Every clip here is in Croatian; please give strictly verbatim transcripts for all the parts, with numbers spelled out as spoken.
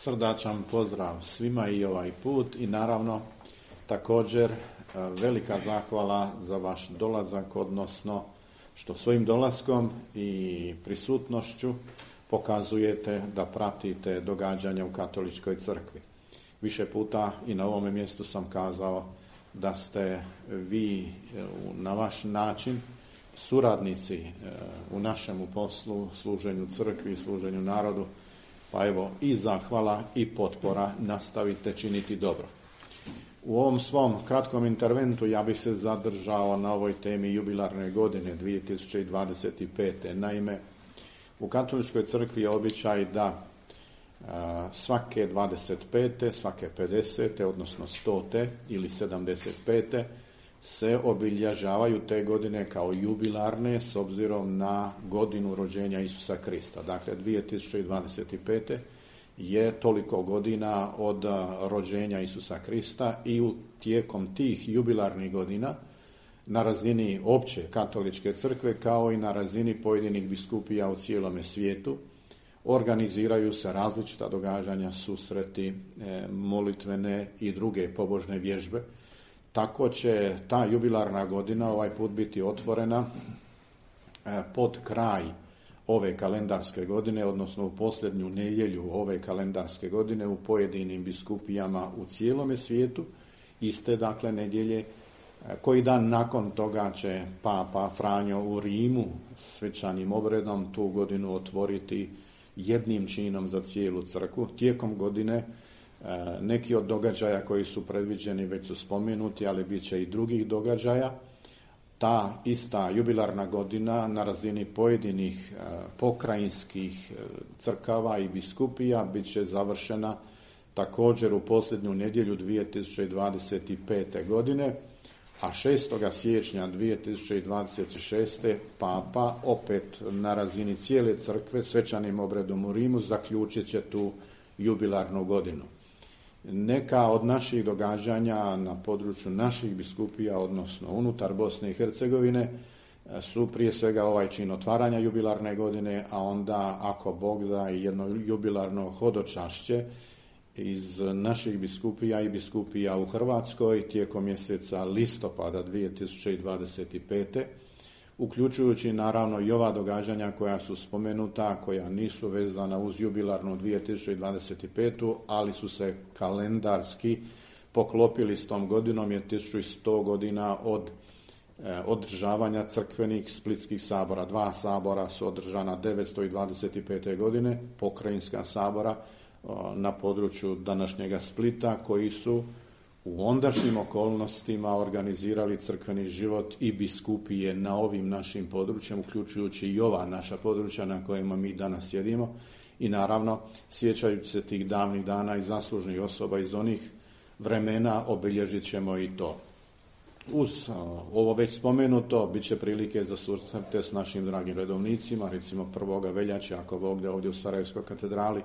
Srdačan pozdrav svima i ovaj put i naravno također velika zahvala za vaš dolazak, odnosno što svojim dolaskom i prisutnošću pokazujete da pratite događanja u Katoličkoj crkvi. Više puta i na ovome mjestu sam kazao da ste vi na vaš način suradnici u našemu poslu, služenju crkvi, služenju narodu, pa evo i zahvala i potpora, nastavite činiti dobro. U ovom svom kratkom interventu ja bih se zadržao na ovoj temi jubilarne godine dvije tisuće dvadeset pete. Naime, u Katoličkoj crkvi je običaj da a, svake dvadeset pete, svake pedesete, odnosno stote ili sedamdeset pete se obilježavaju te godine kao jubilarne s obzirom na godinu rođenja Isusa Krista. Dakle, dvije tisuće dvadeset pete je toliko godina od rođenja Isusa Krista i u tijekom tih jubilarnih godina na razini opće Katoličke crkve kao i na razini pojedinih biskupija u cijelome svijetu organiziraju se različita događanja, susreti, molitvene i druge pobožne vježbe. Tako će ta jubilarna godina ovaj put biti otvorena pod kraj ove kalendarske godine, odnosno u posljednju nedjelju ove kalendarske godine u pojedinim biskupijama u cijelome svijetu. Iste dakle nedjelje, koji dan nakon toga će Papa Franjo u Rimu svečanim obredom tu godinu otvoriti jednim činom za cijelu crkvu. Tijekom godine neki od događaja koji su predviđeni već su spomenuti, ali bit će i drugih događaja. Ta ista jubilarna godina na razini pojedinih pokrajinskih crkava i biskupija bit će završena također u posljednju nedjelju dvije tisuće dvadeset pete. godine, a šestog siječnja dvije tisuće dvadeset šeste. Papa opet na razini cijele crkve svečanim obredom u Rimu zaključit će tu jubilarnu godinu. Neka od naših događanja na području naših biskupija, odnosno unutar Bosne i Hercegovine, su prije svega ovaj čin otvaranja jubilarne godine, a onda, ako Bog da, i jedno jubilarno hodočašće iz naših biskupija i biskupija u Hrvatskoj tijekom mjeseca listopada dvije tisuće dvadeset pete. Uključujući naravno i ova događanja koja su spomenuta, koja nisu vezana uz jubilarnu dvije tisuće dvadeset petu. ali su se kalendarski poklopili s tom godinom, je tisuću sto godina od e, održavanja crkvenih splitskih sabora. Dva sabora su održana devetsto dvadeset pete. godine, pokrajinska sabora o, na području današnjega Splita, koji su u ondašnjim okolnostima organizirali crkveni život i biskupije na ovim našim područjima, uključujući i ova naša područja na kojima mi danas sjedimo. I naravno, sjećajući se tih davnih dana i zaslužnih osoba iz onih vremena, obilježit ćemo i to. Uz ovo već spomenuto, bit će prilike za susrete s našim dragim redovnicima, recimo prvog veljače, ako Bog da, ovdje u Sarajevskoj katedrali,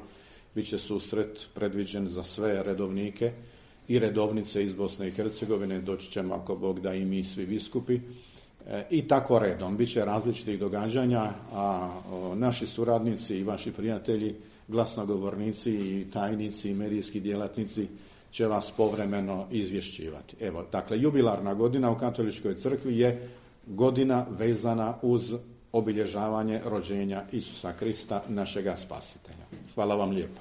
bit će susret predviđen za sve redovnike i redovnice iz Bosne i Hercegovine, doći ćemo ako Bog da i mi svi biskupi, e, i tako redom. Biće različitih događanja, a o, naši suradnici i vaši prijatelji, glasnogovornici i tajnici i medijski djelatnici će vas povremeno izvješćivati. Evo, dakle, jubilarna godina u Katoličkoj crkvi je godina vezana uz obilježavanje rođenja Isusa Krista, našega spasitelja. Hvala vam lijepo.